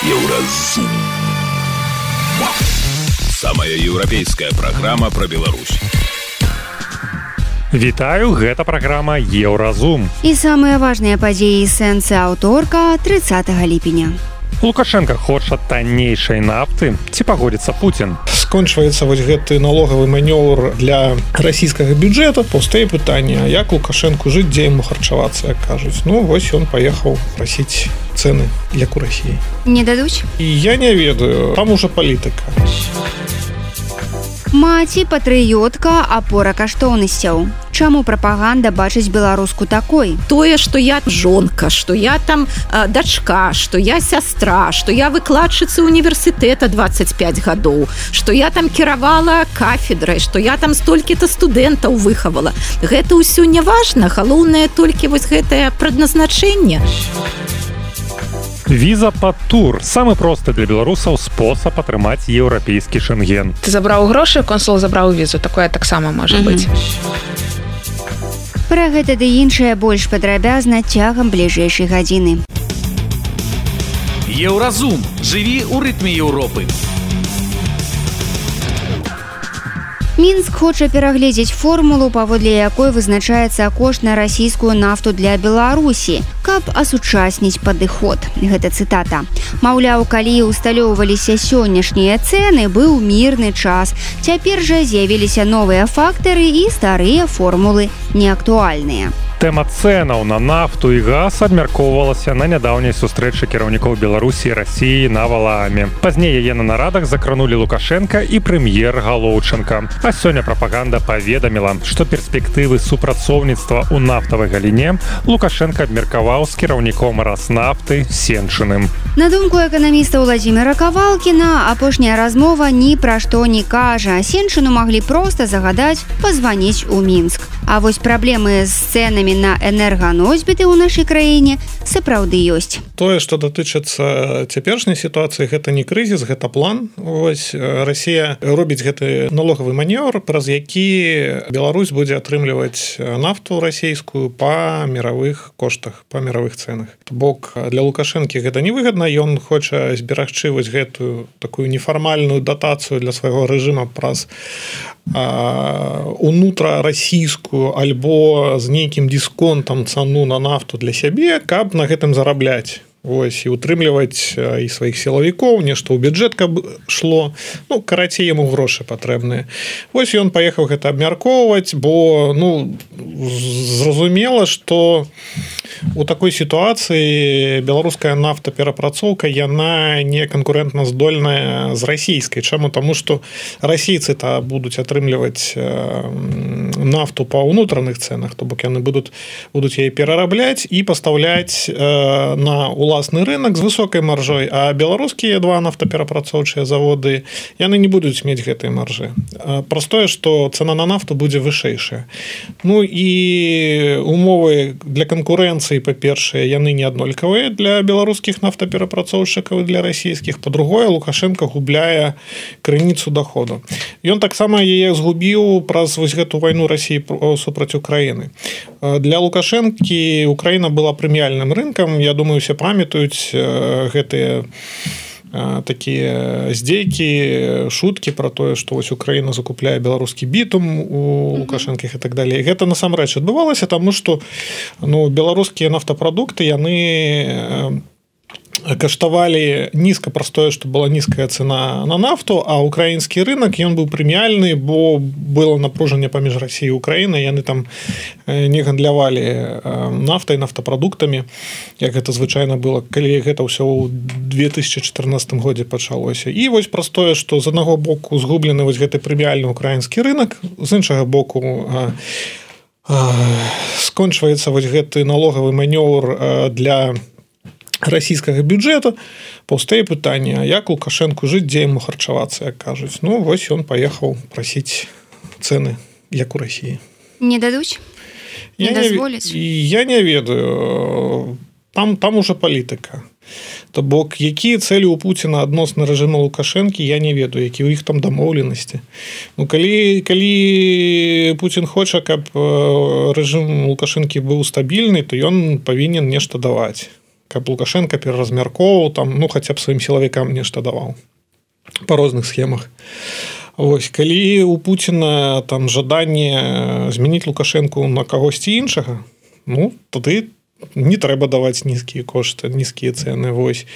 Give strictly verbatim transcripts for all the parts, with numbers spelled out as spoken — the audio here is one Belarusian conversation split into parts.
Еўразум. Самая еўрапейская праграма пра Беларусь. Вітаю, гэта праграма Еўразум. І самыя важныя падзеі сэнсы аўторка трыццатага ліпеня. Лукашенко хоча таннейшай нафты, ці пагодзіцца Пуцін? Скончваецца вось гэты налогавы манёвр для расійскага бюджэта. Паўстае пытанне, як Лукашенку жыць, дзе яму харчавацца, як кажуць. Ну, вось ён паехаў прасіць цэны для Курасіі. Не дадуць? І я не ведаю, там ужо палітыка. Маці патрыётка, апора каштоўнасцяў. Чаму прапаганда бачыць беларуску такой? Тое, што я жонка, што я там э, дачка, што я сястра, што я выкладчыца універсітэта дваццаць пяць гадоў, што я там кіравала кафедрай, што я там столькі-то студэнтаў выхавала. Гэта ўсё не важна, галоўнае толькі вось гэтае прадназначэнне. Віза пад тур. Самы просты для беларусаў спосаб атрымаць еўрапейскі шэнген. Ты забраў грошы, консул забраў візу. Такое таксама можа mm-hmm. быць. Пра гэта ды іншае больш падрабязна цягам бліжэйшай гадзіны. Еўразум. Жыві ў рытме Еўропы. Мінск хоча перагледзець формулу, паводле якой вызначаецца кошт на расійскую нафту для Беларусі, каб асучасніць падыход. Гэта цытата. Маўляў, калі ўсталёўваліся сённяшнія цэны, быў мірны час. Цяпер жа з'явіліся новыя фактары і старыя формулы неактуальныя. Тэма цэнаў на нафту і газ абмяркоўвалася на нядаўняй сустрэчы кіраўнікоў Беларусі і Расіі на Валааме. Пазней яе на нарадах закранулі Лукашенка і прэм'ер Галоўченка. А сёння прапаганда паведаміла, што перспектывы супрацоўніцтва ў нафтавай галіне Лукашенка абмеркаваў з кіраўніком Раснафты Сенчыным. На думку эканаміста Владзіміра Кавалкіна, апошняя размова ні пра што не кажа. Сенчыну маглі проста загадаць пазваніць у Мінск. А вось праблемы з цэнамі на энерганосьбіты ў нашай краіне сапраўды ёсць. Тое, што датычыцца цяперашняй сітуацыі, гэта не крызіс, гэта план. Вось Расія робіць гэты налогавы манёвр, праз які Беларусь будзе атрымліваць нафту расійскую па міравых коштах, па міравых цэнах. То бок для Лукашэнкі гэта невыгадна, ён хоча зберагчы вось гэтую такую нефармальную датацыю для свайго рэжыма праз унутрарасійскую альбо з нейкім дысконтам цану на нафту для сябе, каб на гэтым зарабляць. Вось, і утрымліваць і сваіх сілавікоў, нешта ў бюджэт каб шло. Ну, карацей, яму грошы патрэбныя. Вось ён паехаў гэта абмяркоўваць, бо ну, зразумела, што у такой сітуацыі беларуская нафтаперапрацоўка, яна не канкурэнтна здольная з расійскай. Чаму? Таму што расійцы-то будуць атрымліваць нафту па ўнутраных цэнах, то бок яны будуць, будуць яе перарабляць і пастаўляць на уласны рынок з высокай маржой, а беларускія два нафтаперапрацоўчыя заводы, яны не будуць мець гэтай маржы. Простое, што цана на нафту будзе вышэйшая. Ну і умовы для канкурэнцыі, па-першае, яны не аднолькавыя для беларускіх нафтаперапрацоўшчыкаў і для расійскіх. Па-другое, Лукашенко губляе крыніцу доходу. Ён таксама яе згубіў праз вось гэту вайну Расіі супраць Украіны. Для Лукашэнкі Украіна была прэміяльным рынкам. Я думаю, усе памятаюць гэтыя такія здзейкі, шуткі пра тое, што вось Украіна закупляе беларускі бітум у Лукашэнкіх і так далей. Гэта насамрэч адбывалася, таму што ну, беларускія нафтапрадукты, яны каштавалі нізка, простое, што была нізкая цена на нафту, а украінскі рынок, ён быў прэміяльны, бо было напружанне паміж Расіяй і Украінай, яны там не гандлявалі нафтай, нафтапрадуктамі, як гэта звычайна было, калі гэта ўсё ў две тысячы чатырнаццатым годзе пачалося. І вось простое, што з аднаго боку згублены вось гэты прэміяльны украінскі рынок, з іншага боку скончваецца вось гэты налогавы манёвр для расійскага бюджэта. Паўстае пытанне, як Лукашенку жыць, дзе яму харчавацца, як кажуць. Ну, вось ён паехаў прасіць цэны, як у Расіі. Не дадуць? Не дазволяць? Я не ведаю. Там, там уже палітыка. То бок, якія цэлі ў Пуціна адносна рэжыма Лукашэнкі, я не ведаю, які ў іх там дамоўленасці. Ну, калі, калі Пуцін хоча, каб рэжым Лукашэнкі быў стабільны, то ён павінен нешта даваць. каб Лукашенко пераразмяркоўваў там, ну хаця б сваім сілавікам нешта даваў па розных схемах. Вось, калі у Пуціна там жаданне змяніць Лукашэнку на кагосьці іншага, ну тады не трэба даваць нізкія кошты, нізкія цэны, вось.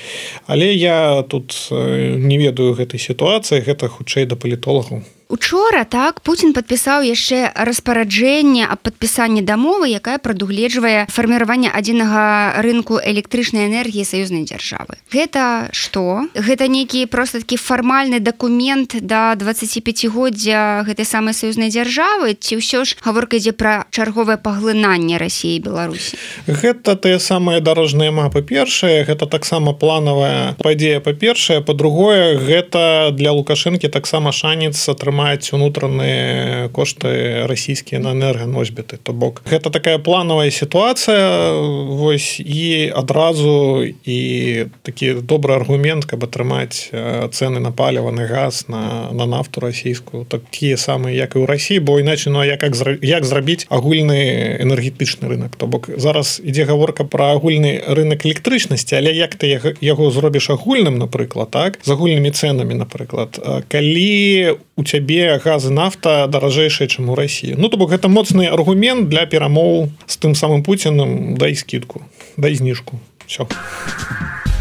Але я тут не ведаю гэтай сітуацыі, гэта хутчэй да палітолагаў. Учора так Путін падпісаў яшчэ распараджэнне аб падпісанні дамовы, якая прадугледжвае фарміраванне адзінага рынку электрычнай энергіі саюзнай дзяржавы. Гэта што? Гэта нейкі проста такі фармальны дакумент да дваццаціпяцігоддзя гэтай самай саюзнай дзяржавы, ці ўсё ж гаворка ідзе пра чарговае паглынанне Расіі і Беларусі? Гэта тыя самыя дарожныя мапы. Першае, гэта таксама планавая падзея па-першае, па-другое, гэта для Лукашэнкі таксама шанец атрымаць унутраныя кошты расійскія на энерганосьбіты. То бок гэта такая планавая сітуацыя, вось, і адразу і такі добры аргумент, каб атрымаць цэны на паліва, на газ, на, на нафту расійскую, такія самыя, як і ў Расіі, бо іначе, ну, як, як зрабіць агульны энергетычны рынок. То бок зараз ідзе гаворка пра агульны рынок электрычнасці, але як ты яго зробіш агульным, напрыклад, так, з агульнымі цэнамі, напрыклад, калі у цябе газ і нафта даражэйшая, чым у Расіі. Ну, то бок гэта моцны аргумент для перамоў з тым самым Пуцінам, дай скидку, дай зніжку. Всё.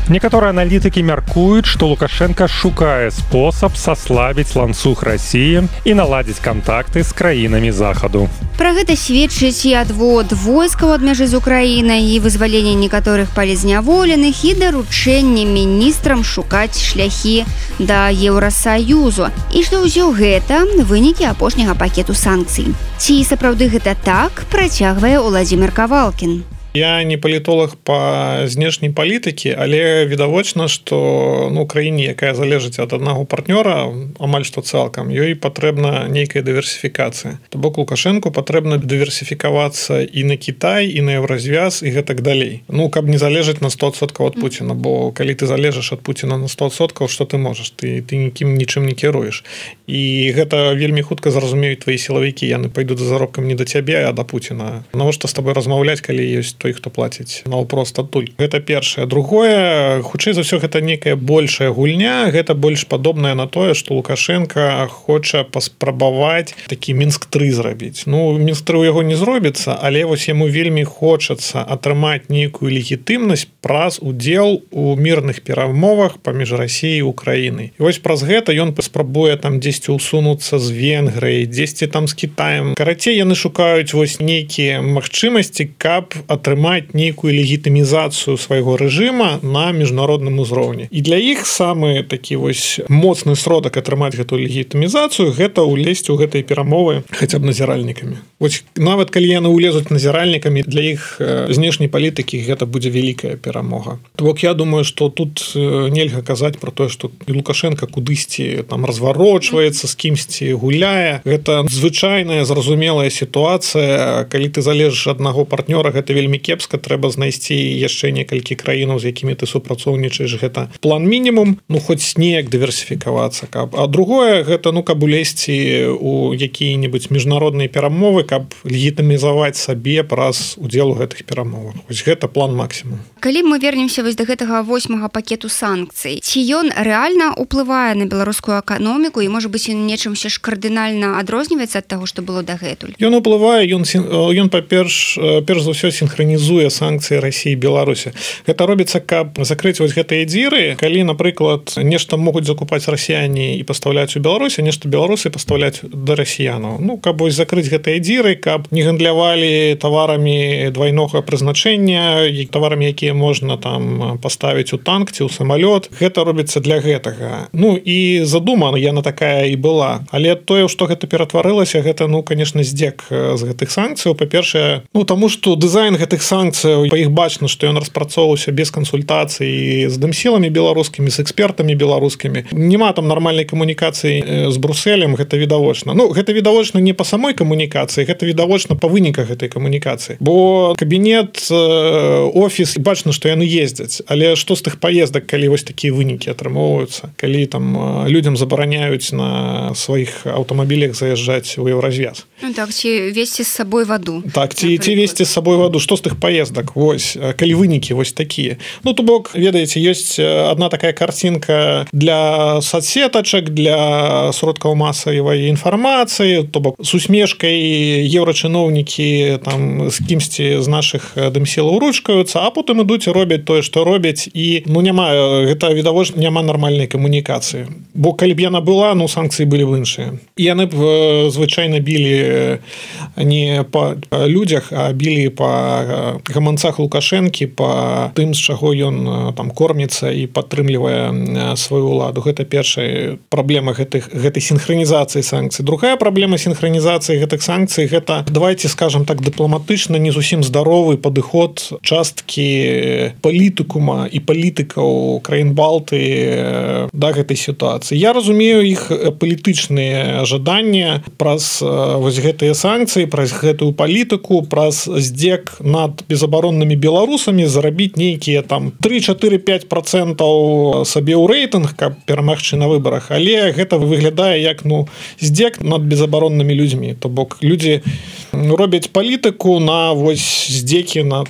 Некаторыя аналітыкі мяркуюць, што Лукашенко шукае спосаб саслабіць ланцуг Расіі і наладзіць кантакты з краінамі захаду. Пра гэта сведчыць і адвод войскаў ад мяжы з Украінай, і вызваленне некаторых палізняволеных, і даручэнне міністрам шукаць шляхі да Еўрасаюзу. І што ўсё гэта вынікі апошняга пакету санкцый. Ці сапраўды гэта так, працягвае Уладзімір Кавалкін. Я не палітолог па знешняй палітыкі, але відавочна, што ну, краіне, якая залежыць ад аднаго партнёра, амаль што цалкам, ёй патрэбна нейкая дыверсіфікацыя. То бок Лукашэнку патрэбна дыверсіфікавацца і на Кітай, і на Еўразвяз, і гэтак далей. Ну, каб не залежаць на сто адсоткаў ад Пуціна, бо калі ты залежыш ад Пуціна на сто адсоткаў, што ты можаш? Ты, ты нікім нічым не кіруеш. І гэта вельмі хутка зразумеюць твои сілавікі, яны пайдуць за заробкам не да цябе, а да Пуціна. Навошта з табой размаўляць, калі ёсць той, хто плаціць наўпрост адтуль. Гэта першае. Другое, хутчэй за ўсё, гэта некая большая гульня, гэта больш падобная на тое, што Лукашенко хоча паспрабаваць такі Мінск тры зрабіць. Ну, Мінск тры ў яго не зробіцца, але вось яму вельмі хочацца атрымаць нейкую легітымнасць праз удзел у мірных перамовах паміж Расіяй і Украінай. І вось праз гэта ён паспрабуе там дзесьці ўсунуцца з Венгрыяй, дзесьці там з Кітаем. Карацей, яны шукаюць вось нейкія магчымасці, каб атрымаць нейкую легітымізацыю свайго рэжыма на міжнародным узроўні. І для іх самы такі вось моцны сродак атрымаць гэтую легітымізацыю гэта ўлезці ў гэтыя перамовы хаця б назіральнікамі. Вось нават калі яны ўлезуць назіральнікамі, для іх знешняй палітыкі гэта будзе вялікая перамога. То бок я думаю, што тут нельга казаць пра тое, што Лукашенко кудысьці там разварочваецца, з кімсьці гуляе. Гэта звычайная зразумелая сітуацыя, калі ты залежыш ад аднаго партнёра, гэта вельмі кепска, трэба знайсці яшчэ некалькі краінаў, з якімі ты супрацоўнічаеш, гэта план мінімум, ну хоць неяк дыверсіфікавацца, каб. А другое гэта ну каб улезці у якія-небудзь міжнародныя перамовы, каб легітымізаваць сабе праз удзел у гэтых перамовах. Вось гэта план максімум. Калі мы вернемся вось да гэтага восьмага пакету санкцый, ці ён рэальна ўплывае на беларускую эканоміку і можа быць ён нечымся ж кардынальна адрозніваецца ад таго, што было дагэтуль? Ён уплывае, ён ён па-перш перш за ўсё сінхранізуе санкцыі Расіі і Беларусі. Гэта робіцца, каб закрыць вось гэтыя дзіры, калі, напрыклад, нешта могуць закупаць расіяне і пастаўляць у Беларусі, нешта беларусы пастаўляць да расіянаў. Ну, каб вось закрыць гэтыя дзіры, каб не гандлявалі таварамі двайнога прызначэння, таварамі, якія можна там паставіць у танк ці ў самалёт. Гэта робіцца для гэтага. Ну, і задумана яна такая і была. Але тое, што гэта ператварылася, гэта, ну, конечно, здзек з гэтых санкцыяў. Па-першае, ну, таму што дызайн гэтых санкцыяў, па іх бачна, што ён распрацоўваўся без кансультацый з дэмсіламі беларускімі, з экспертамі беларускімі. Нема там нармальнай камунікацыі з Брусэлем, гэта відавочна. Ну, гэта відавочна не па самой камунікацыі, гэта відавочна па выніках гэтай камунікацыі. Бо кабінет, офіс, бачна, што яны ездзяць. Але што з тых паездак, калі вось такія вынікі атрымоўваюцца? Калі там людзям забараняюць на сваіх аўтамабілях заязджаць у Еўразвяз? Ну так, ці весці з сабой ваду. Так, ці, ці весці з сабой ваду. Што з гэтых поездак вось калі вынікі вось такія. Ну то бок ведаеце ёсць одна такая картинка для соцсетачак, для сродкаў масавай інфармацыі, то бок с усмешкай еўрачыноўнікі там з кімсьці з наших дымсілаў ручкаюцца, а потым ідуць і робяць тое, што робяць, і ну няма гэта відавочна няма нармальнай камунікацыі. Бо калі б яна была, ну санкцыі былі б іншыя. І яны б звычайна білі не па людзях, а білі па гаманцах Лукашэнкі, па тым, з чаго ён там корміцца і падтрымлівае сваю ўладу. Гэта першая праблема гэтых гэтай синхронізацыі санкцый. Другая праблема синхронізацыі гэтых санкцый гэта, давайте скажем так дыпламатычна, не зусім здаровы падыход часткі палітыкума і палітыкаў краін Балты да гэтай сітуацыі. Я разумею іх палітычныя жаданні праз вось гэтыя санкцыі, праз гэтую палітыку, праз здзек над безабароннымі беларусамі зарабіць нейкія там три, четыре, пять процентаў сабе ў рэйтынг, каб перамагчы на выбарах, але гэта выглядае як ну здзек над безабароннымі людзьмі. То бок людзі робяць палітыку на вось здзекі над,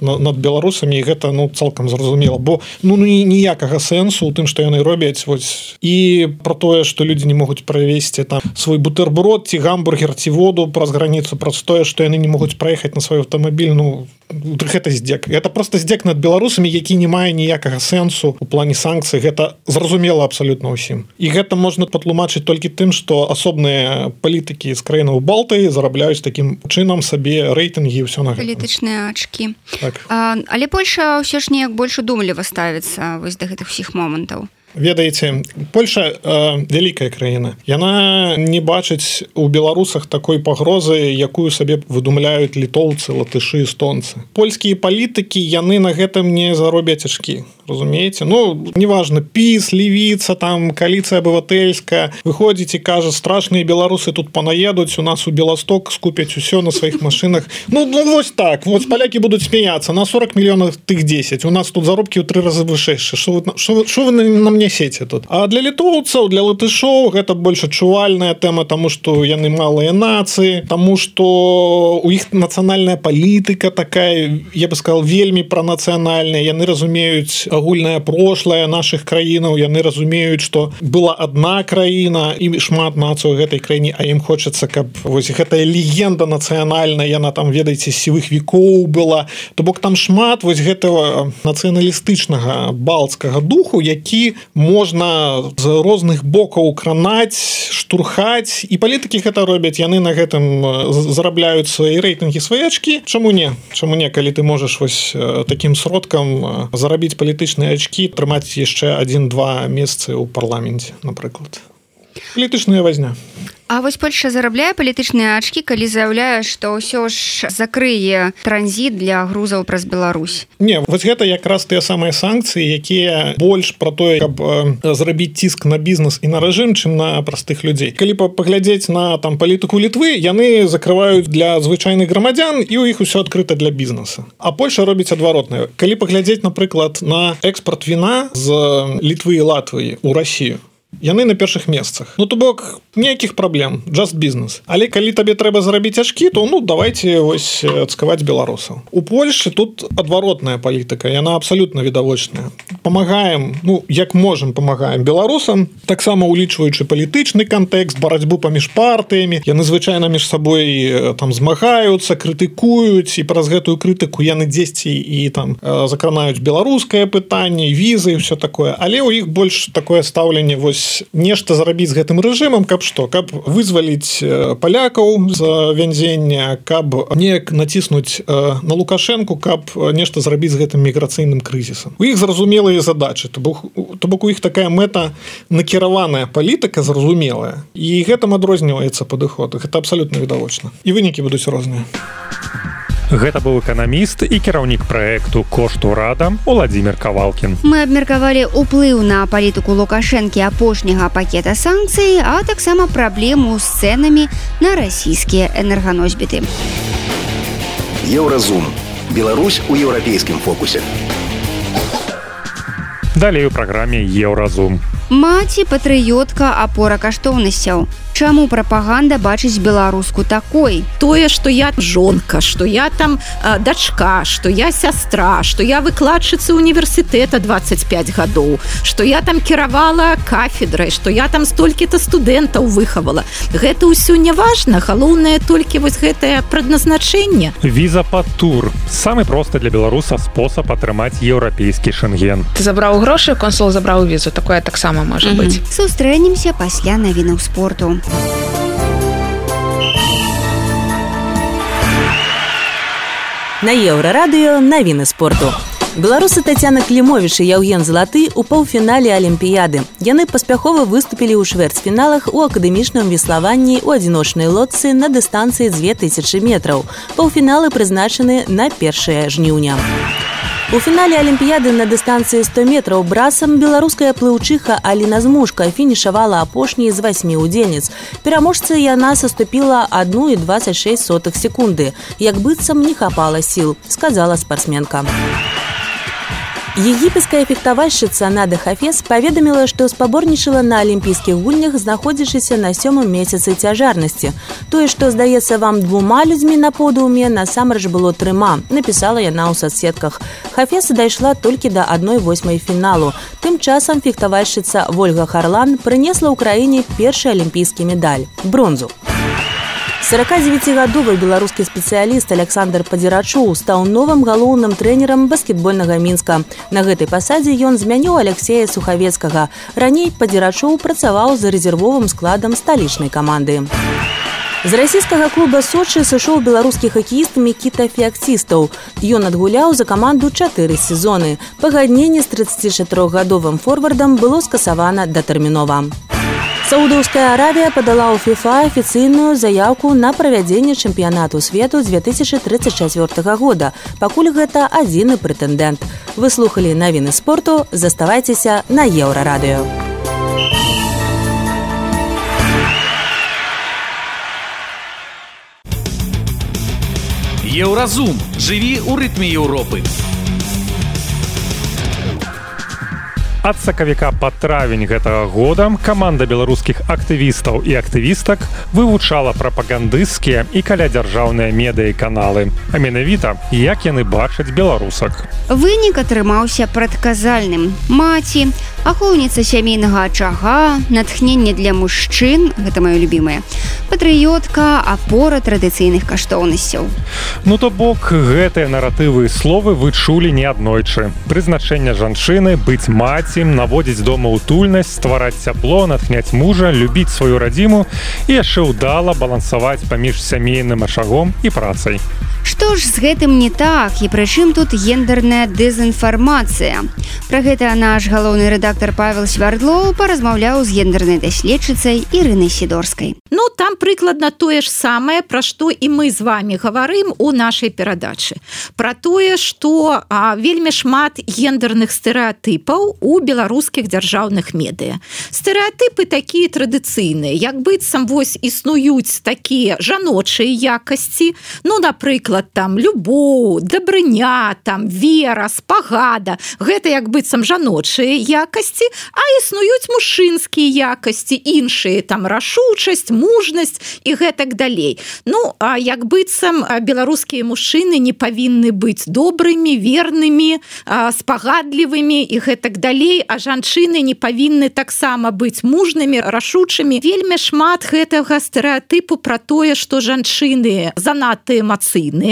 над беларусамі, і гэта ну цалкам зразумела, бо ну ніякага сэнсу у тым, што яны робяць вось і про тое, што людзі не могуць правесці там свой бутерброд ці гамбургер ці воду праз граніцу, праз тое, што яны не могуць праехаць на свой аўтамабіль. Ну гэта здзек. Гэта просто здзек над беларусамі, які не мае ніякага сэнсу у плане санкцый. Гэта зразумела абсалютна ўсім. І гэта можна патлумачыць толькі тым, што асобныя палітыкі з краінаў Балты зарабляюць такім чынам сабе рэйтынгі і ўсё на гэта. Палітычныя ачкі. Так. А, але Польша ўсё ж неяк больш удумліва ставіцца вось да гэтых усіх момантаў. Ведаеце, Польша э, вялікая краіна. Яна не бачыць у беларусах такой пагрозы, якую сабе выдумляюць літоўцы, латышы, эстонцы. Польскія палітыкі, яны на гэтым не заробяць ачкі. Разумееце? Ну, неважно, ПіС, Левіца, там, коаліцыя абывательская, выходзіць і кажа, страшныя беларусы тут панаедуць, у нас у Беласток скупяць усё на сваіх машинах. Ну, ну, вось так, вот поляки будут смеяться, на сорок миллионов тых десять, у нас тут заробки ў тры разы вышэйшыя. Што вы, што, што вы нам несеце тут? А для літоўцаў, для латышоў гэта больш адчувальная тэма, таму што яны малыя нацыі, таму што у іх нацыянальная палітыка такая, я бы сказал, вельмі пранацыянальная, яны разумеюць агульнае прошлое наших краінаў, яны разумеюць, што была одна краіна і шмат нацый у гэтай краіне, а ім хочацца, каб вось гэтая легенда нацыянальная, яна там, ведаеце, з сівых векоў была. То бок там шмат вось гэтага нацыяналістычнага балцкага духу, які можна з розных бокаў кранаць, штурхаць, і палітыкі гэта робяць, яны на гэтым зарабляюць свае рэйтынгі, свае ачкі. Чаму не? Чаму не, калі ты можаш вось такім сродкам зарабіць палітычныя ачкі, трымаць яшчэ адзін-два месцы ў парламенце, напрыклад. Палітычная вазня. А вось Польша зарабляе палітычныя ачкі, калі заяўляе, што ўсё ж закрые транзіт для грузаў праз Беларусь. Не, вось гэта якраз тыя самыя санкцыі, якія больш пра тое, каб зрабіць ціск на бізнес і на рэжым, чым на простых людзей. Калі паглядзець на там палітыку Літвы, яны закрываюць для звычайных грамадзян, і ў іх усё адкрыта для бізнеса. А Польша робіць адваротнае. Калі паглядзець, напрыклад, на экспорт віна з Літвы і Латвіі ў Расію, яны на першых месцах. Ну, то бок, ніякіх праблем, just business. Але калі табе трэба зарабіць ачкі, то, ну, давайте вось цкаваць беларусаў. У Польшы тут адваротная палітыка, яна абсалютна відавочная. Памагаем, ну, як можам, памагаем беларусам, таксама улічваючы палітычны кантэкст, барацьбу паміж партыямі, яны звычайна між сабой там змагаюцца, крытыкуюць, і праз гэтую крытыку яны дзесьці і там закранаюць беларускае пытанне, візы і ўсё такое. Але ў іх больш такое стаўленне, вось нешта зарабіць з гэтым рэжымам, каб што, каб вызваліць палякаў з вянзення, каб неяк націснуць на Лукашэнку, каб нешта зрабіць з гэтым міграцыйным крызісам. У іх зразумелыя задачы, то бок, то бок у іх такая мэта накіраваная палітыка зразумелая, і гэтым адрозніваецца падыход. Гэта абсалютна відавочна. І вынікі будуць розныя. Гэта быў эканаміст і кіраўнік праекту «Кошт урада» Уладзімір Кавалкін. Мы абмеркавалі ўплыў на палітыку Лукашэнкі апошняга пакета санкцый, а таксама праблему з цэнамі на расійскія энерганосьбіты. Еўразум. Беларусь у еўрапейскім фокусе. Далей у праграме Еўразум. Маці патрыётка, апора каштоўнасцяў. Чаму прапаганда бачыць беларуску такой? Тое, што я жонка, што я там э, дачка, што я сястра, што я выкладчыца універсітэта двадцать пять гадоў, што я там кіравала кафедрай, што я там столькі-то студэнтаў выхавала. Гэта ўсё не важна, галоўнае толькі вось гэтае прадназначэнне. Віза пад тур. Самы просты для беларуса спосаб атрымаць еўрапейскі шэнген. Ты забраў грошы, консул забраў візу. Такое таксама можа mm-hmm. быць. Сустрэнемся пасля навінаў спорту. На Еўрарадыё навіны спорту. Беларусы Тацяна Клімовіч і Яўген Залаты ў паўфінале Алімпіяды. Яны паспяхова выступілі ў чвэрцьфіналах у акадэмічным веславанні ў адзіночнай лодцы на дыстанцыі дзве тысячы метраў. Паўфіналы прызначаны на першае жніўня. У фінале Алімпіяды на дыстанцыі сто метраў брасам беларуская плыўчыха Аліна Змушка фінішавала апошняй з васьмі удзельніц. Пераможцы яна саступіла адну і дваццаць шэсць сотых секунды. Як быццам не хапала сіл, сказала спартсменка. Егіпецкая фехтавальшчыца Нада Хафез паведаміла, што спаборнічала на алімпійскіх гульнях, знаходзячыся на сёмым месяцы цяжарнасці. Тое, што здаецца вам двума людзьмі на подыуме, насамрэч было трыма, напісала яна ў соцсетках. Хафез дайшла толькі да адной восьмай фіналу. Тым часам фехтавальшчыца Вольга Харлан прынесла ў краіне першы алімпійскі медаль – бронзу. сорокадзевяцігадовы беларускі спецыяліст Александр Падзірачоў стаў новым галоўным трэнерам баскетбольнага Мінска. На гэтай пасадзе ён змяніў Алексея Сухавецкага. Раней Падзірачоў працаваў за рэзервовым складам сталічнай каманды. З расійскага клуба Сочы сышоў беларускі хакеіст Мікіта Феакцістаў. Ён адгуляў за каманду чатыры сезоны. Пагадненне з трыццацічатырохгадовым форвардам было скасавана датэрмінова. Саудаўская Аравія падала ў ФІФА афіцыйную заяўку на правядзенне чэмпіянату свету дзве тысячы трыццаць чацвёртага года. Пакуль гэта адзіны прэтэндэнт. Вы слухалі навіны спорту, заставайцеся на Еўрарадыё. Еўразум. Жыві ў рытме Еўропы. Ад сакавіка па травень гэтага года каманда беларускіх актывістаў і актывістак вывучала прапагандысцкія і калядзяржаўныя медыяканалы. А менавіта, як яны бачаць беларусак. Вынік атрымаўся прадказальным. Маці, ахоўніца сямейнага ачага, натхненне для мужчын, гэта маё любімае, патрыётка, апора традыцыйных каштоўнасцяў. Ну то бок, гэтыя наратывы і словы вы чулі неаднойчы. Прызначэнне жанчыны, быць маці, наводзіць дома утульнасць, ствараць цяпло, натхняць мужа, любіць сваю радзіму і яшчэ ўдала балансаваць паміж сямейным ачагом і працай. Што ж з гэтым не так, і прычым тут гендерная дэзінфармацыя? Пра гэта наш галоўны рэдактар Павел Свярдлоў паразмаўляў з гендернай даследчыцай Ірынай Сідорскай. Ну, там прыкладна тое ж самае, пра што і мы з вами гаварым у нашай перадачы. Пра тое, што а, вельмі шмат гендерных стэрэатыпаў у беларускіх дзяржаўных медыя. Стэрэатыпы такія традыцыйныя, як быццам вось існуюць такія жаночыя якасці, ну, напрыклад, там любоў, дабрыня, там вера, спагада. Гэта як быццам жаночыя якасці, а існуюць мужчынскія якасці, іншыя, там рашучасць, мужнасць і гэтак далей. Ну, а як быццам беларускія мужчыны не павінны быць добрымі, вернымі, спагадлівымі і гэтак далей, а жанчыны не павінны таксама быць мужнымі, рашучымі. Вельмі шмат гэтага стэрэатыпу пра тое, што жанчыны занадта эмацыйныя.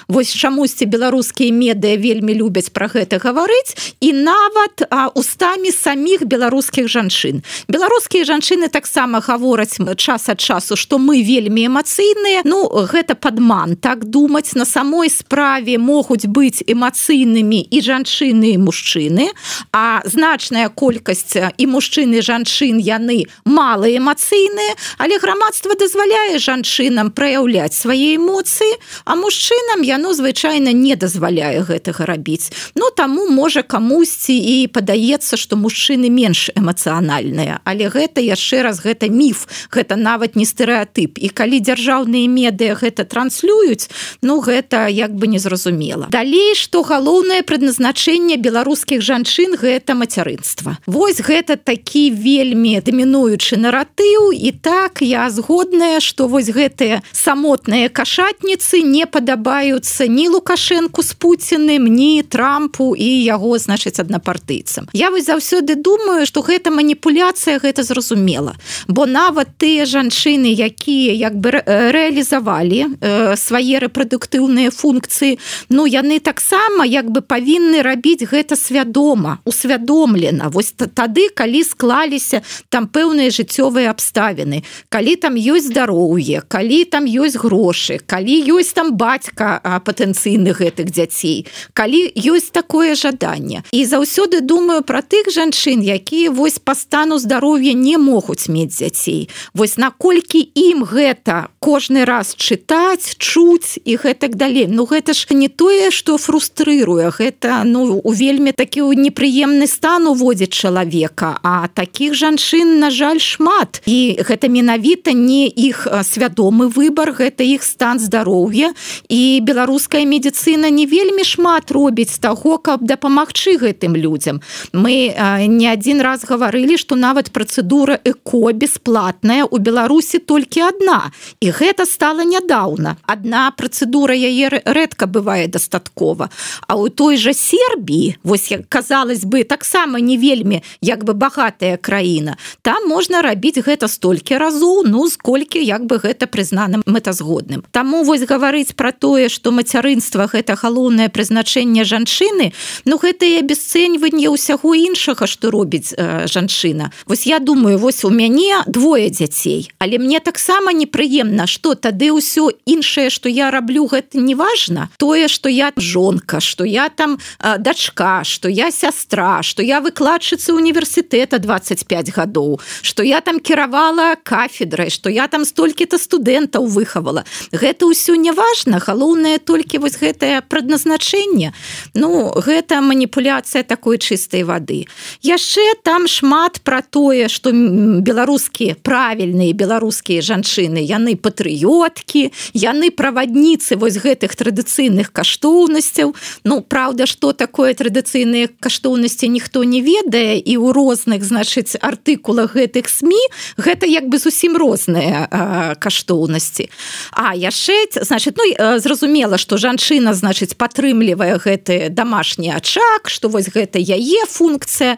Вось чамусьці беларускія медыя вельмі любяць пра гэта гаварыць, і нават а, устамі саміх беларускіх жанчын. Беларускія жанчыны таксама гавораць час ад часу, што мы вельмі эмацыйныя. Ну, гэта падман, так думаць. На самой справе могуць быць эмацыйнымі і жанчыны, і мужчыны, а значная колькасць і мужчын, і жанчын, яны мала эмацыйныя, але грамадства дазваляе жанчынам праяўляць свае эмоцыі, а мужчыны мужчынам яно звычайна не дазваляе гэтага рабіць. Ну таму можа камусьці і падаецца, што мужчыны менш эмацыянальныя, але гэта яшчэ раз гэта міф, гэта нават не стэрэатып. І калі дзяржаўныя медыа гэта транслююць, ну гэта як бы незразумела. Далей, што галоўнае прадназначэнне беларускіх жанчын гэта мацярынства. Вось гэта такі вельмі дамінуючы наратыў, і так я згодная, што вось гэтыя самотныя кашатніцы не падабаюцца ні Лукашэнку з Пуціным, ні Трампу і яго, значыць, аднапартыйцам. Я вось заўсёды думаю, што гэта маніпуляцыя, гэта зразумела. Бо нават тыя жанчыны, якія як бы рэалізавалі э, свае рэпрадуктыўныя функцыі, ну яны таксама як бы павінны рабіць гэта свядома, усвядомлена. Вось тады, калі склаліся там пэўныя жыццёвыя абставіны, калі там ёсць здароўе, калі там ёсць грошы, калі ёсць там бацька патэнцыйных гэтых дзяцей, калі ёсць такое жаданне. І заўсёды думаю пра тых жанчын, якія вось па стану здароўя не могуць мець дзяцей. Вось наколькі ім гэта кожны раз чытаць, чуць і гэтак далей. Ну гэта ж не тое, што фрустрыруе, гэта ну у вельмі такі непрыемны стан уводзіць чалавека, а такіх жанчын, на жаль, шмат. І гэта менавіта не іх свядомы выбар, гэта іх стан здароўя. І беларуская медыцына не вельмі шмат робіць таго, каб дапамагчы гэтым людзям. Мы э, не адзін раз гаварылі, што нават працэдура эко бесплатная у Беларусі толькі адна. І гэта стала нядаўна. Адна працэдура яе рэдка бывае дастаткова. А ў той жа Сербіі, вось як казалось бы, таксама не вельмі як бы багатая краіна, там можна рабіць гэта столькі разоў, ну сколькі як бы гэта прызнана мэтазгодным. Таму вось гаварыць пра тое, што мацярынства гэта галоўнае прызначэнне жанчыны, ну гэта і абясцэньванне ўсяго іншага, што робіць э, жанчына. Вось я думаю, вось у мяне двое дзяцей, але мне таксама непрыемна, што тады ўсё іншае, што я раблю, гэта не важна. Тое, што я жонка, што я там э, дачка, што я сястра, што я выкладчыца універсітэта дваццаць пяць гадоў, што я там кіравала кафедрай, што я там столькі-то студэнтаў выхавала. Гэта ўсё не важна, галоўнае толькі вось гэтае прадназначэнне. Ну, гэта маніпуляцыя такой чыстай вады. Яшчэ там шмат пра тое, што беларускія, правільныя беларускія жанчыны, яны патрыёткі, яны правадніцы вось гэтых традыцыйных каштоўнасцяў. Ну, праўда, што такое традыцыйныя каштоўнасці ніхто не ведае, і ў розных, значыць, артыкулах гэтых СМІ гэта як бы зусім розныя а, каштоўнасці. А яшчэ, значыць, ну, зразумела, што жанчына, значыць, падтрымлівае гэты дамашні ачаг, што вось гэта яе функцыя.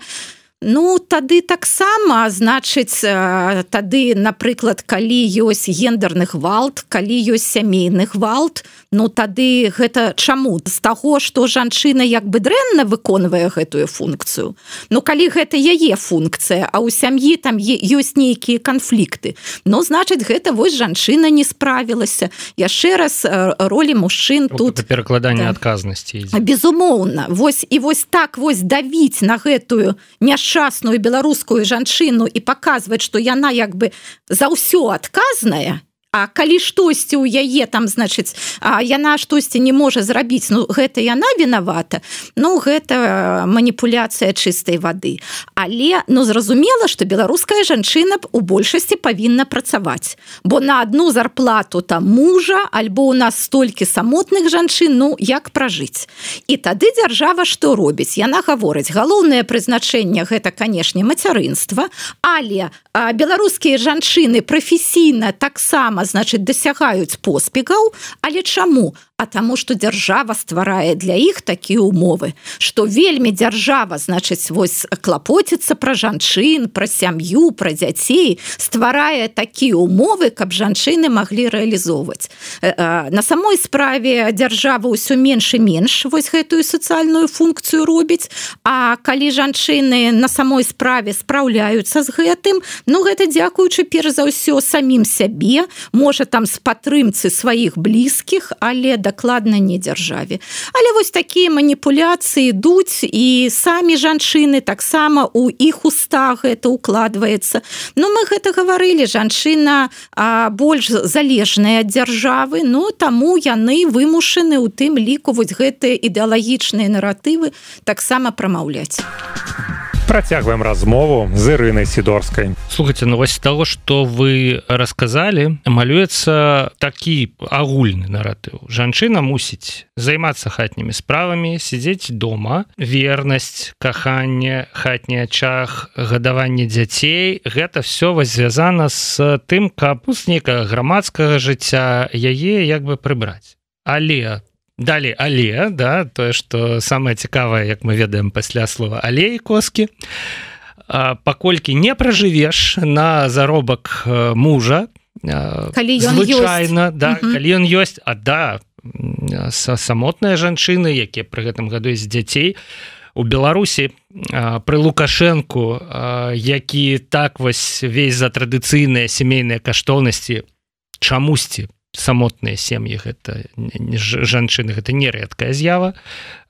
Ну, тады таксама, значыць, тады, напрыклад, калі ёсць гендерны гвалт, калі ёсць сямейны гвалт, ну, тады гэта чаму? З таго, што жанчына як бы дрэнна выконвае гэтую функцыю. Ну, калі гэта яе функцыя, а ў сям'і там ёсць нейкія канфлікты, ну, значыць, гэта вось жанчына не справілася. Яшчэ раз, ролі мужчын тут... Это перакладанне адказнасці. Безумоўна. Вось, і вось так вось давіць на гэтую няшчасную беларускую жанчыну і паказваць, што яна як бы за ўсё адказная, а калі штосьці ў яе там, значыць, а яна штосьці не можа зрабіць, ну, гэта яна вінавата, ну, гэта маніпуляцыя чыстай вады. Але, ну, зразумела, што беларуская жанчына у большасці павінна працаваць, бо на адну зарплату там мужа, альбо у нас столькі самотных жанчын, ну, як пражыць. І тады дзяржава што робіць? Яна гаворыць, галоўнае прызначэнне гэта, канешне, мацярынства, але а, беларускія жанчыны прафесійна таксама, значыць, дасягаюць поспехаў, але чаму? А таму, што дзяржава стварае для іх такія умовы, што вельмі дзяржава, значыць, вось клапоціцца пра жанчын, пра сям'ю, пра дзяцей, стварае такія умовы, каб жанчыны маглі рэалізоўваць. На самой справе дзяржава ўсё менш і менш вось гэтую сацыяльную функцыю робіць, а калі жанчыны на самой справе спраўляюцца з гэтым, ну, гэта дзякуючы перш за ўсё самім сябе, можа там з падтрымцы сваіх блізкіх, але дакладна не дзяржаве. Але вось такія маніпуляцыі ідуць, і самі жанчыны таксама у іх устах гэта укладваецца. Ну, мы гэта гаварылі, жанчына а, больш залежная ад дзяржавы, ну, таму яны вымушаны ў тым ліку вось гэтыя ідэалагічныя наратывы таксама прамаўляць. Працягваем размову з Ірынай Сідорскай. Слухайте, ну вось з таго, што вы расказалі, малюецца такі агульны наратыў. Жанчына мусіць займацца хатнімі справамі, сядзець дома, вернасць, каханне, хатні ачаг, гадаванне дзяцей. Гэта все вось звязана з тым, каб з нейкага грамадскага жыцця яе як бы прыбраць. Але Далей, але, да, тое, што самае цікавае, як мы ведаем пасля слова але і коскі, паколькі не пражывеш на заробак мужа, калі звычайна, да, угу. калі ён ёсць, а да, самотныя жанчыны, якія пры гэтым гадуюць дзяцей, у Беларусі пры Лукашэнку, які так вось весь за традыцыйныя сямейныя каштоўнасці чамусьці самотныя сем'і, гэта жанчыны, гэта нерэдкая з'ява,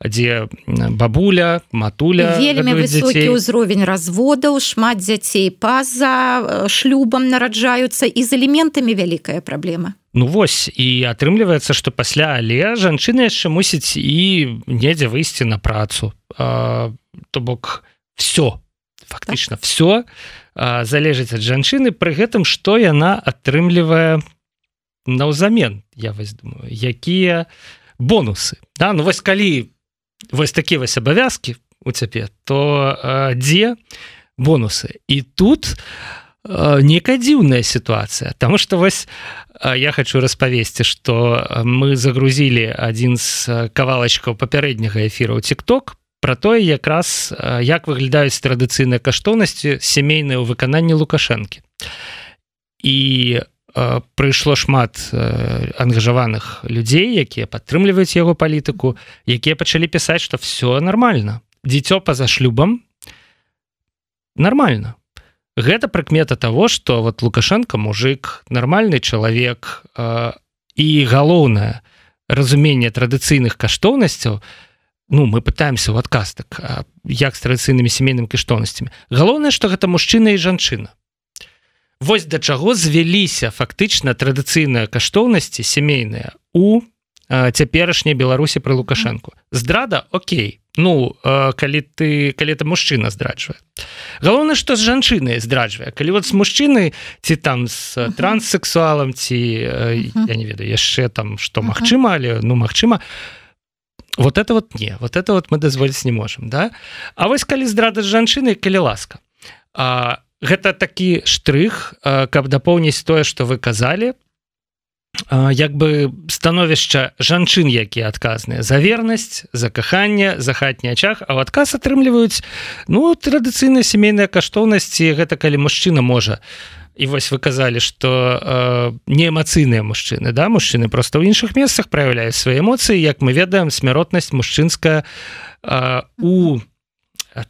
дзе бабуля, матуля вельмі высокі ўзровень разводаў, шмат дзяцей па-за шлюбам нараджаюцца, і з элементамі вялікая праблема. Ну вось, і атрымліваецца, што пасля але жанчына яшчэ мусіць і недзе выйсці на працу. А, то бок все, фактычна так. все а, залежыць ад жанчыны, пры гэтым, што яна атрымлівае наўзамен, я вось думаю, якія бонусы. Да? Ну вось калі вось такія вось абавязкі у цябе, то а, дзе бонусы? І тут а, нейкая дзіўная сітуацыя, таму што вось а, я хочу распавесці, што мы загрузілі адзін з кавалачкаў папярэдняга эфіра ў TikTok пра тое, якраз як выглядаюць традыцыйныя каштоўнасці сямейныя ў выкананні Лукашэнкі. І прыйшло шмат ангажаваных людзей, якія падтрымліваюць яго палітыку, якія пачалі пісаць, што все нормально. Дзіцё па-за шлюбам нормально. Гэта прыкмета того, што вот Лукашенко мужик, нармальны чалавек, і галоўнае разуменне традыцыйных каштоўнасцяў, ну, мы пытаемся ў адказ, так, як з традыцыйнымі сямейнымі каштоўнасцямі. Галоўнае, што гэта мужчына і жанчына. Вось да чаго звяліся фактычна традыцыйныя каштоўнасці сямейныя у цяперашняй Беларусі пры Лукашэнку. Здрада, окей. Ну, калі ты, калі ты мужчына здраджвае. Галоўнае, што з жанчынай здраджвае. Калі вот з мужчынай, ці там з транссексуалам, ці, я не ведаю, яшчэ там, што магчыма, але, ну, магчыма, вот это вот не, вот это вот мы дазволіць не можам, да? А вось калі здрада з жанчынай, калі ласка. А гэта такі штрых, каб дапоўніць тое, што вы казалі, як бы становішча жанчын, якія адказныя за вернасць, за каханне, за хатні ачаг, а ў адказ атрымліваюць, ну, традыцыйныя сямейныя каштоўнасці, гэта калі мужчына можа. І вось вы казалі, што э, неэмацыйныя мужчыны, да, мужчыны проста ў іншых месцах праяўляюць свае эмоцыі, як мы ведаем, смяротнасць мужчынская э, у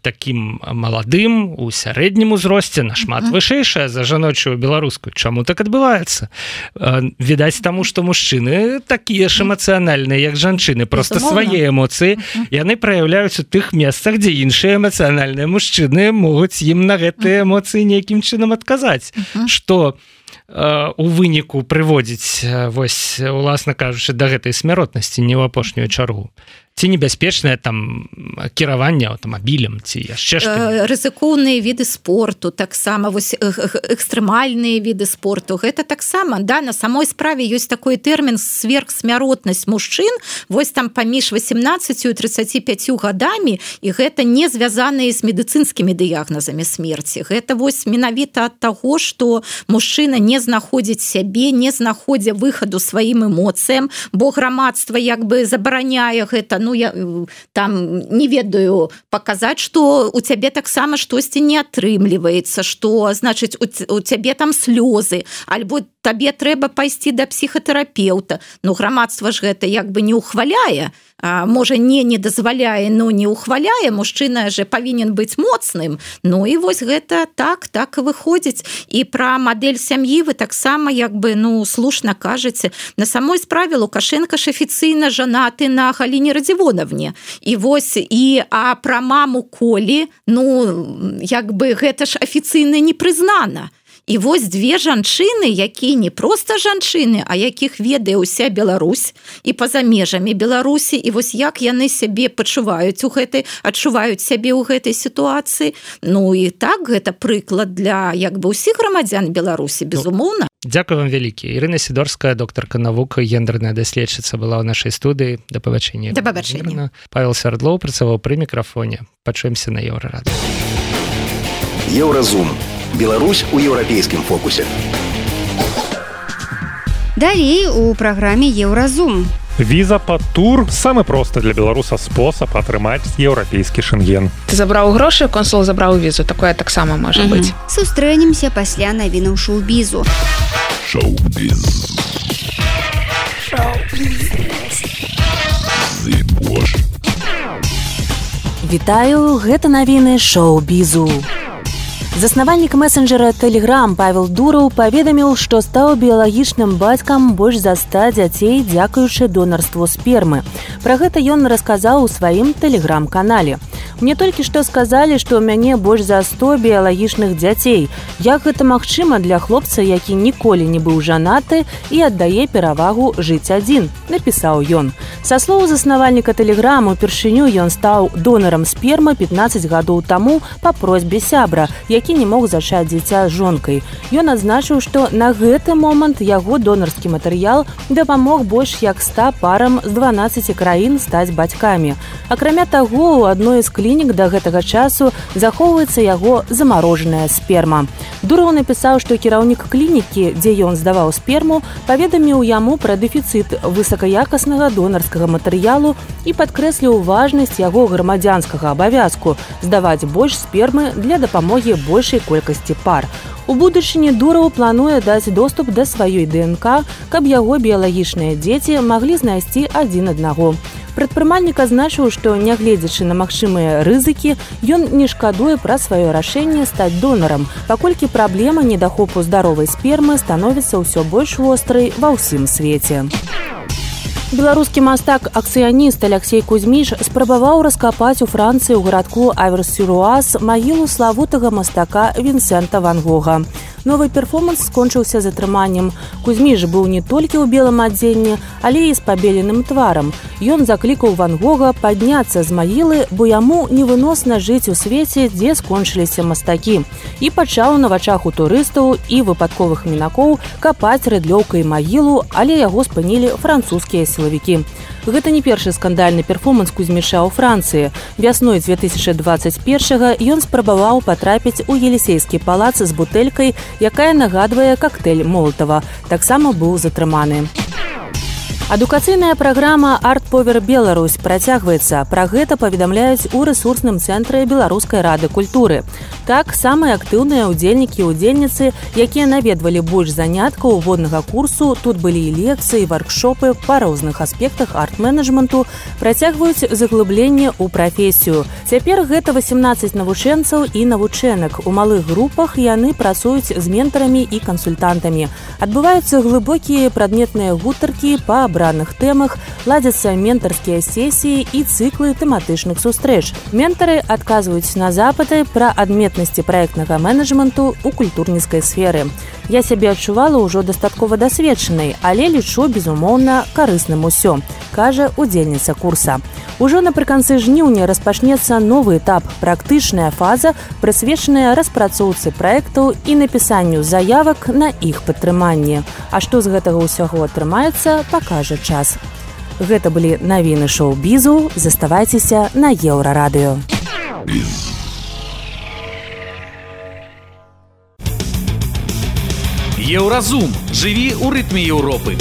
таким маладым, у сярэднім узросце нашмат вышэйшая за жаночую беларускую. Чаму так адбываецца? Відаць таму, што мужчыны такія ж эмацыянальныя, як жанчыны, проста свае эмоцыі яны праяўляюць у тых месцах, дзе іншыя эмацыянальныя мужчыны могуць ім на гэтыя эмоцыі нейкім чынам адказаць. Што у выніку прыводзіць, вось, уласна кажучы, да гэтай смяротнасці не ў апошнюю чаргу. Ці небяспечнае там кіраванне аўтамабілем, ці яшчэ што? Рызыкоўныя віды спорту, таксама вось экстрэмальныя віды спорту. Гэта таксама, да, на самой справе ёсць такой тэрмін сверхсмяротнасць мужчын, вось там паміж васемнаццаццю і трыццаці пяццю гадамі, і гэта не звязаныя з медыцынскімі дыягназамі смерці. Гэта вось менавіта ад таго, што мужчына не знаходзіць сябе, не знаходзя выхаду сваім эмоцыям, бо грамадства як бы забараняе гэта, ну, я там не ведаю, паказаць, што у цябе таксама штосьці не атрымліваецца, што, значыць, у, у цябе там слёзы, альбо табе трэба пайсці да псіхатэрапеўта. Ну, грамадства ж гэта як бы не ухваляе, а, можа, не не дазваляе, но не ухваляе, мужчына же павінен быць моцным. Ну, і вось гэта так, так і выходзіць. І пра мадэль сям'і вы таксама як бы, ну, слушна кажаце. На самой справе Лукашенко ж афіцыйна жанаты на Галіне Радзівонавне. І вось, і, а пра маму Колі, ну, як бы гэта ж афіцыйна не прызнана. І вось две жанчыны, якія не проста жанчыны, а якіх ведае ўся Беларусь і па-за межамі Беларусі, і вось як яны сябе пачуваюць у гэтай, адчуваюць сябе ў гэтай сітуацыі. Ну і так, гэта прыклад для як бы ўсіх грамадзян Беларусі, безумоўна. Дзякую вам вялікі. Ірына Сідорская, доктарка навук, гендерная даследчыца, была ў нашай студыі. Да пабачэння. Да пабачэння. Павел Сярдлоў працаваў пры мікрафоне. Пачуемся на Еўрарадыё. Еўразум. Беларусь у еўрапейскім фокусе. Далей у праграме Еўразум. Віза пад тур – самы просты для беларуса спосаб атрымаць еўрапейскі шэнген. Ты забраў грошы, консул забраў візу. Такое таксама можа быць. Сустрэнемся пасля навінаў шоу-бізу. Шоу-біз. Вітаю, гэта навіны шоу-бізу. Заснавальнік месенджера Telegram Павел Дураў паведаміў, што стаў біялагічным бацькам больш за ста дзяцей дзякуючы донарству спермы. Пра гэта ён расказаў у сваім Telegram-канале. Мне толькі што сказалі, што ў мяне больш за сто біялагічных дзяцей. Як гэта магчыма для хлопца, які ніколі не быў жанаты і аддае перавагу жыць адзін, напісаў ён. Са слоў заснавальніка Telegram, упершыню ён стаў донарам спермы пятнаццаць гадоў таму па просьбе сябра, які не мог зачаць дзіця з жонкай. Ён адзначыў, што на гэты момант яго донарскі матэрыял дапамог больш як ста парам з дванаццаці краін стаць бацькамі. Акрамя таго, у адной з клінік да гэтага часу захоўваецца яго замарожаная сперма. Дураў напісаў, што кіраўнік клінікі, дзе ён здаваў сперму, паведаміў яму пра дэфіцыт высакаякаснага донарскага матэрыялу і падкрэсліў важнасць яго грамадзянскага абавязку здаваць больш спермы для дапамогі большай колькасці пар. У будучыні Дураў плануе даць доступ да сваёй ДНК, каб яго біялагічныя дзеці маглі знайсці адзін аднаго. Прадпрымальнік азначыў, што, нягледзячы на магчымыя рызыкі, ён не шкадуе пра сваё рашэнне стаць донарам, паколькі праблема недахопу здаровай спермы становіцца ўсё больш вострай ва ўсім свеце. Беларускі мастак-акцыяніст Алексей Кузьміш спрабаваў раскапаць у Францыі ў гарадку Аверс-сюр-Уаз магілу славутага мастака Вінсента Ван Гога. Новы перформанс скончыўся затрыманнем. Кузьміш быў не толькі ў белым адзенні, але і з пабеленым тварам. Ён заклікаў Ван Гога падняцца з магілы, бо яму невыносна жыць у свеце, дзе скончыліся мастакі. І пачаў на вачах у турыстаў і выпадковых мінакоў капаць рыдлёўкай магілу, але яго спынілі французскія сілавікі. Гэта не першы скандальны перформанс Кузьміша ў Францыі. Вясной дзве тысячы дваццаць першага ён спрабаваў патрапіць у Елісейскі палац з бутэлькай, якая нагадвае кактэйль Молатава. Таксама быў затрыманы. Адукацыйная праграма «Арт Повер Беларусь» працягваецца. Пра гэта паведамляюць у рэсурсным цэнтры Беларускай рады культуры. Так, самыя актыўныя ўдзельнікі і ўдзельніцы, якія наведвалі больш заняткаў воднага курсу, тут былі і лекцыі, варкшопы па розных аспектах арт-менеджменту, працягваюць заглыбленне ў прафесію. Цяпер гэта васемнаццаць навучэнцаў і навучэнак. У малых групах яны працуюць з ментарамі і кансультантамі. Адбываюцца глыбокія прадметныя гутаркі па абраных тэмах, ладзяцца ментарскія сесіі і цыклы тэматычных сустрэч. Ментары адказваюць на запыты пра адметнасці праектнага менеджменту ў культурніцкай сферы. Я сябе адчувала ўжо дастаткова дасведчанай, але лічу, безумоўна, карысным усё, кажа удзельніца курса. Ужо напрыканцы жніўня распачнецца новы этап, практычная фаза, прысвечаная распрацоўцы праектаў і напісанню заявак на іх падтрыманне. А што з гэтага ўсяго атрымаецца, пакажа час. Гэта былі навіны шоу-бізу. Заставайцеся на Еўрарадыё. Еўразум. Жыві ў рытме Еўропы.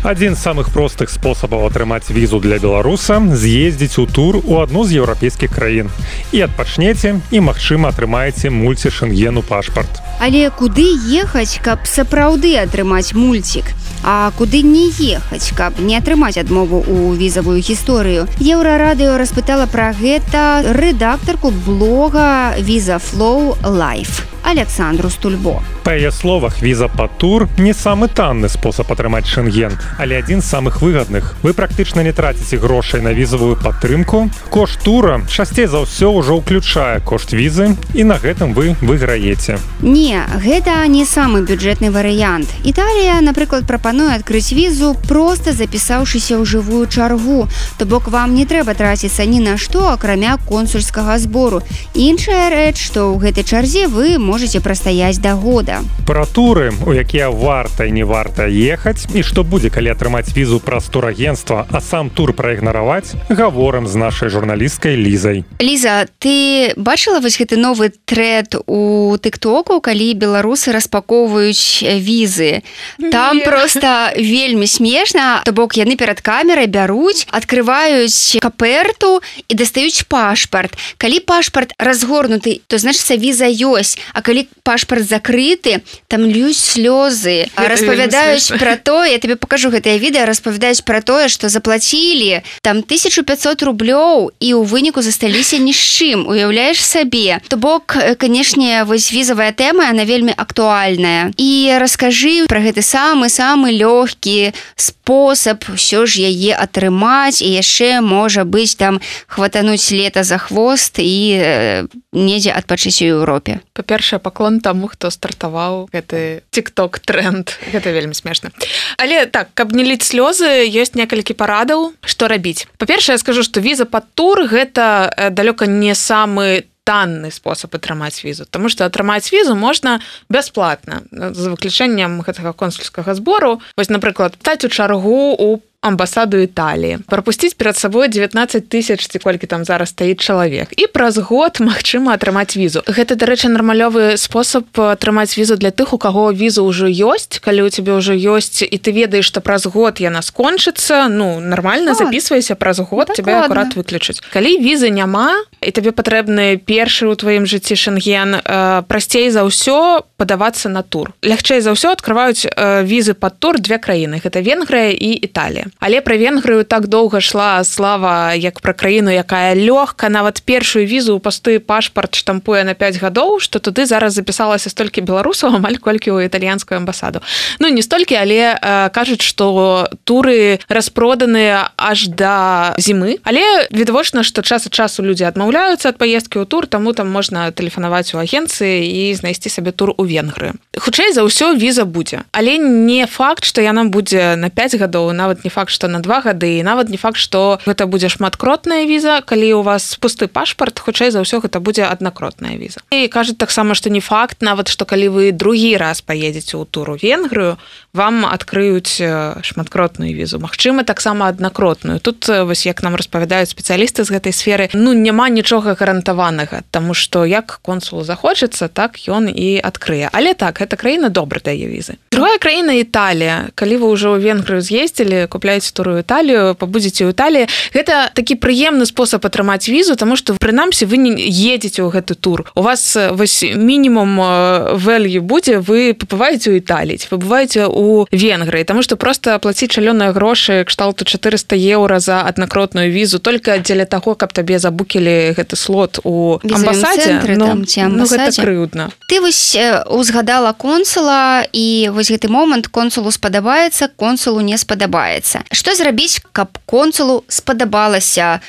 Адзін з самых простых спосабаў атрымаць візу для беларуса – з'ездзіць у тур у адну з еўрапейскіх краін. І адпачнеце, і, магчыма, атрымаеце мульці-шэнгену пашпарт. Але куды ехаць, каб сапраўды атрымаць мульцік? А куды не ехаць, каб не атрымаць адмову ў візавую гісторыю? Еўрарадыё распытала пра гэта рэдактарку блога «Візафлоу Лайф» Александру Стульбо. Па яе словах, віза па тур не самы танны спосаб атрымаць шэнген, але адзін з самых выгадных. Вы практычна не траціце грошай на візавую падтрымку. Кошт тура часцей за ўсё ўжо ўключае кошт візы, і на гэтым вы выйграеце. Не, гэта не самы бюджэтны варыянт. Італія, напрыклад, прапануе адкрыць візу, проста запісаўшыся ў жывую чаргу. То бок вам не трэба траціцца ні на што, акрамя консульскага збору. Іншая рэч, што ў гэтай чарзе вы можете прастаяць да года. Пра туры, у якія варта і не варта ехаць, і што будзе, калі атрымаць візу праз турагенцтва, а сам тур праігнараваць, гаворым з нашай журналісткай Лізай. Ліза, ты бачыла вось гэты новы трэнд у тыктоку, калі беларусы распакоўваюць візы? Там проста вельмі смешна, то бок яны перад камерай бяруць, адкрываюць каперту і дастаюць пашпарт. Калі пашпарт разгорнуты, то значыцца віза ёсць, а калі пашпарт закрыты, там льюсь слёзы, распавядаюць пра тое, я тебе покажу гэтае відэа, распавядаюць пра тое, што заплацілі там тысячу пятьсот рублёў і ў выніку засталіся ні з чым, уяўляеш сабе. То бок, канешне, вось візавая тэма, она вельмі актуальная. І раскажы пра гэты самы-самы лёгкі спосаб ўсё ж яе атрымаць, і яшчэ, можа быць, там хватануць лета за хвост і э, недзе адпачыць у Еўропе. Па-першае, паклон таму, хто стартаваў гэты тик-ток-тренд. Гэта вельмі смешна. Але так, каб не ліць слёзы, ёсць некалькі парадаў, што рабіць. Па-першае, я скажу, што віза пад тур – гэта далёка не самы танны спосаб атрымаць візу, таму што атрымаць візу можна бясплатна, за выключэннем гэтага консульскага збору. Вось, напрыклад, стаць у чаргу у амбасаду Італіі, прапусціць перад сабой дзевятнаццаць тысяч, ці колькі там зараз стаіць чалавек, і праз год магчыма атрымаць візу. Гэта, дарэчы, нармалёвы спосаб атрымаць візу для тых, у каго віза ўжо ёсць. Калі ў цябе ўжо ёсць, і ты ведаеш, што праз год яна скончыцца, ну, нармальна запісвайся, праз год цябе акурат выключаць. Калі візы няма, і табе патрэбны першы ў тваім жыцці шэнген, прасцей за ўсё падавацца на тур. Лягчэй за ўсё адкрываюць візы пад тур две краіны. Гэта Венгрыя і Італія. Але пра Венгрыю так доўга шла слава, як пра краіну, якая лёгка, нават першую візу ў пасты пашпарт штампуе на пяць гадоў, што туды зараз запісалася столькі беларусаў, амаль колькі ў італьянскую амбасаду. Ну, не столькі, але э, кажуць, што туры распроданыя аж да зімы. Але відавочна, што час ад часу людзі адмаўляюцца ад паездкі ў тур, таму там можна тэлефанаваць у агенцыі і знайсці сабе тур у Венгрыю. Хутчэй за ўсё віза будзе. Але не факт, што яна будзе на пяць гадоў, нават не факт, што на два гады, і нават не факт, што гэта будзе шматкротная віза. Калі у вас пусты пашпарт, хутчэй за ўсё гэта будзе аднакротная віза. І кажуць таксама, што не факт, нават што калі вы другі раз паедзеце ў тур у Венгрыю, вам адкрыюць шматкротную візу. Магчыма, таксама аднакротную. Тут, вось як нам распавядаюць спецыялісты з гэтай сферы, ну, няма нічога гарантаванага, таму што як консулу захочацца, так ён і адкрые. Але так, гэта краіна добра дае візы. Другая краіна Італія. Калі вы ўжо ў Венгрыю з'ездзілі, купляеце тур у Італію, пабудзеце ў Італіі, гэта такі прыемны спосаб атрымаць візу, таму што прынамсі вы не едзеце ў гэты тур. У вас вось мінімум value будзе, вы пабываеце ў Італіі, ці пабываеце ў Венгрыі, таму што проста плаціць шалёныя грошы кшталту чатырыста еўра за аднакротную візу толькі дзеля таго, каб табе забукілі гэты слот у амбасадзе, ну, ну гэта крыўдна. Ты вось узгадала консула, і вось гэты момант консулу спадабаецца, консулу не спадабаецца. Што зрабіць, каб консулу спадабалася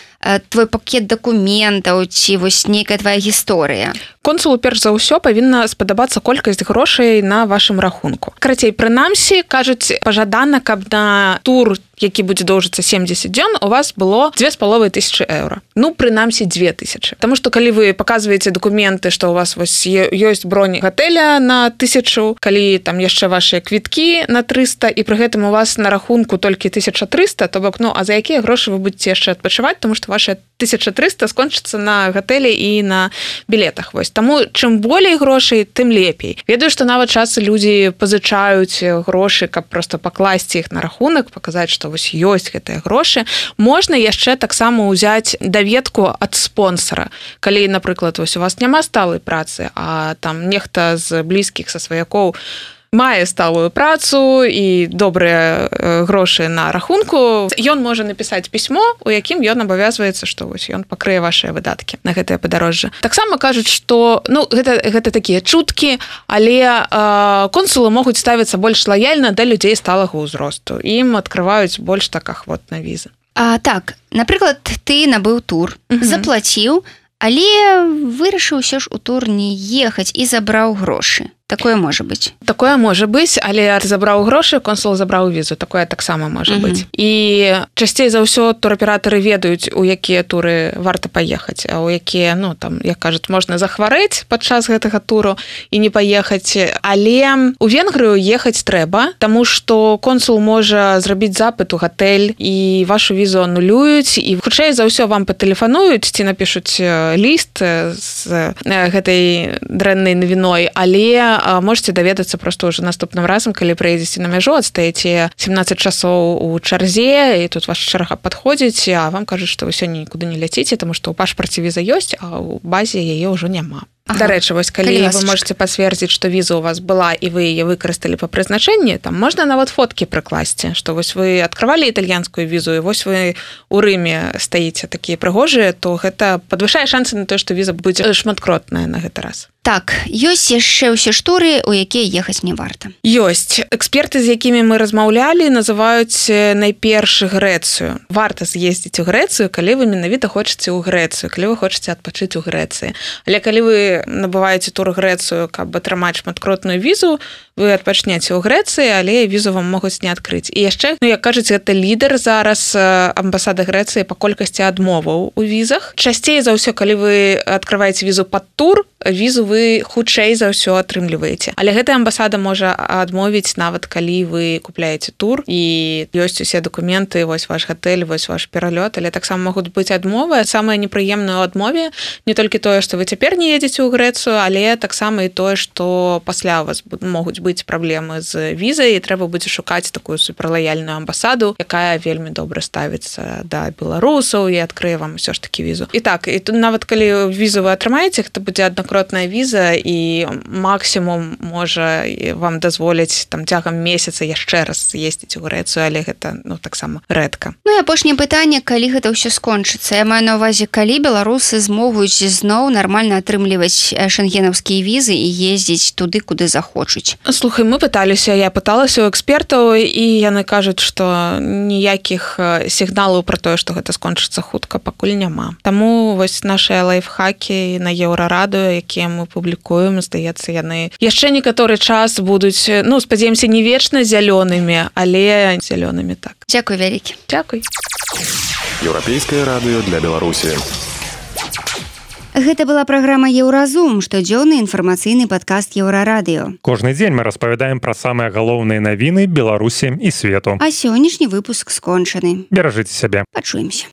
твой пакет дакументаў ці вось нейкая твая гісторыя? Консулу перш за ўсё павінна спадабацца колькасць грошай на вашым рахунку. Карацей, прынамсі, кажуць, пажадана, каб на тур, які будзе доўжыцца семдзесят дзён, у вас было дзве з паловай тысячы еўра. Ну, прынамсі, дзве тысячы. Таму што калі вы паказваеце дакументы, што у вас вось ёсць бронь гатэля на тысячу, калі там яшчэ вашыя квіткі на трыста, і пры гэтым у вас на рахунку толькі тысяча трыста, то бок, ну, а за якія грошы вы будзеце яшчэ адпачываць, таму што ваша тысяча трыста скончыцца на гатэлі і на білетах. Вось таму чым болей грошай, тым лепей. Ведаю, што нават часы людзі пазычаюць грошы, каб просто пакласці іх на рахунак, паказаць, што вось ёсць гэтыя грошы. Можна яшчэ таксама ўзяць даведку ад спонсара. Калі, напрыклад, вось у вас няма сталай працы, а там нехта з блізкіх са сваякоў мае сталую працу і добрыя грошы на рахунку, ён можа напісаць пісьмо, у якім ён абавязваецца, што вось ён пакрые вашыя выдаткі на гэтае падарожжа. Таксама кажуць, што ну, гэта, гэта такія чуткі, але э, консулы могуць ставіцца больш лаяльна да людзей сталага ўзросту. Ім адкрываюць больш так ахвотна візы. А, так, напрыклад, ты набыў тур, uh-huh. заплаціў, але вырашыў усё ж у тур не ехаць і забраў грошы. Такое можа быць. Такое можа быць, але забраў грошы, консул забраў візу. Такое таксама можа uh-huh. быць. І часцей за ўсё тураператары ведаюць, у якія туры варта паехаць, а у якія, ну, там, як кажуць, можна захварэць падчас гэтага туру і не паехаць. Але у Венгрыю ехаць трэба, таму што консул можа зрабіць запыт у гатэль і вашу візу анулююць, і хутчэй за ўсё вам патэлефануюць ці напішуць ліст з гэтай дрэннай навіной, але можете даведацца просто ўжо наступным разам, калі прыедзеце на мяжу, адстаеце сямнаццаць часоў у чарзе, і тут ваша чарга падходзіць, а вам кажуць, што вы сёння нікуды не ляціце, таму што ў пашпарце віза ёсць, а ў базе яе ўжо няма. Ага. Дарэчы, вось калі, калі вы можете пацвердзіць, што віза у вас была і вы яе выкарысталі па прызначэнні, там можна нават фоткі прыкласці, што вось вы адкрывалі італьянскую візу і вось вы у Рыме стаіце такія прыгожыя, то гэта падвышае шансы на тое, што віза будзе шматкротная на гэты раз. Так, ёсць яшчэ ўсе штуры, у якія ехаць не варта. Ёсць. Эксперты, з якімі мы размаўлялі, называюць найперш Грэцыю. Варта з'ездзіць у Грэцыю, калі вы менавіта хочаце ў Грэцыю, калі вы хочаце адпачыць у Грэцыі. Але калі вы набываеце тур Грэцыю, каб атрымаць шматкротную візу, вы адпачнеце ў Грэцыі, але візу вам могуць не адкрыць. І яшчэ, ну, як кажуць, гэта лідар зараз амбасады Грэцыі па колькасці адмоваў у візах. Часцей за ўсё, калі вы адкрываеце візу пад тур, візу вы хутчэй за ўсё атрымліваеце. Але гэтая амбасада можа адмовіць нават калі вы купляеце тур і ёсць усе дакументы, вось ваш гатэль, вось ваш пералёт, але таксама могуць быць адмовы. Самае непрыемнае ў адмове не толькі тое, што вы цяпер не едзеце ў Грэцыю, але таксама і тое, што пасля у вас могуць быць праблемы з візай, і трэба будзе шукаць такую суперлаяльную амбасаду, якая вельмі добра ставіцца да беларусаў і адкрые вам усё ж такі візу. І так, і тут нават калі візу вы атрымаеце, гэта будзе аднакротная віза, і максімум можа вам дазволіць там цягам месяца яшчэ раз з'ездзіць у Грэцыю, але гэта, ну, таксама рэдка. Ну і апошняе пытанне, калі гэта ўсё скончыцца. Я маю на ўвазе, калі беларусы змогуць зноў нармальна атрымліваць шэнгенаўскія візы і ездзіць туды, куды захочуць. Слухай, мы пыталіся, я пыталася ў экспертаў, і яны кажуць, што ніякіх сігналаў пра тое, што гэта скончыцца хутка, пакуль няма. Таму вось нашыя лайфхакі на Еўрарадыё, якія мы публікуем, здаецца, яны яшчэ некаторы час будуць, ну, спадзяемся, не вечна зялёнымі, але зялёнымі так. Дзякуй вялікі. Дзякуй. Еўрапейскае радыё для Беларусі. Гэта была праграма Еўразум, штодзённы інфармацыйны падкаст Еўрарадыё. Кожны дзень мы распавядаем пра самыя галоўныя навіны Беларусі і свету. А сённяшні выпуск скончаны. Беражыце сябе. Пачуемся.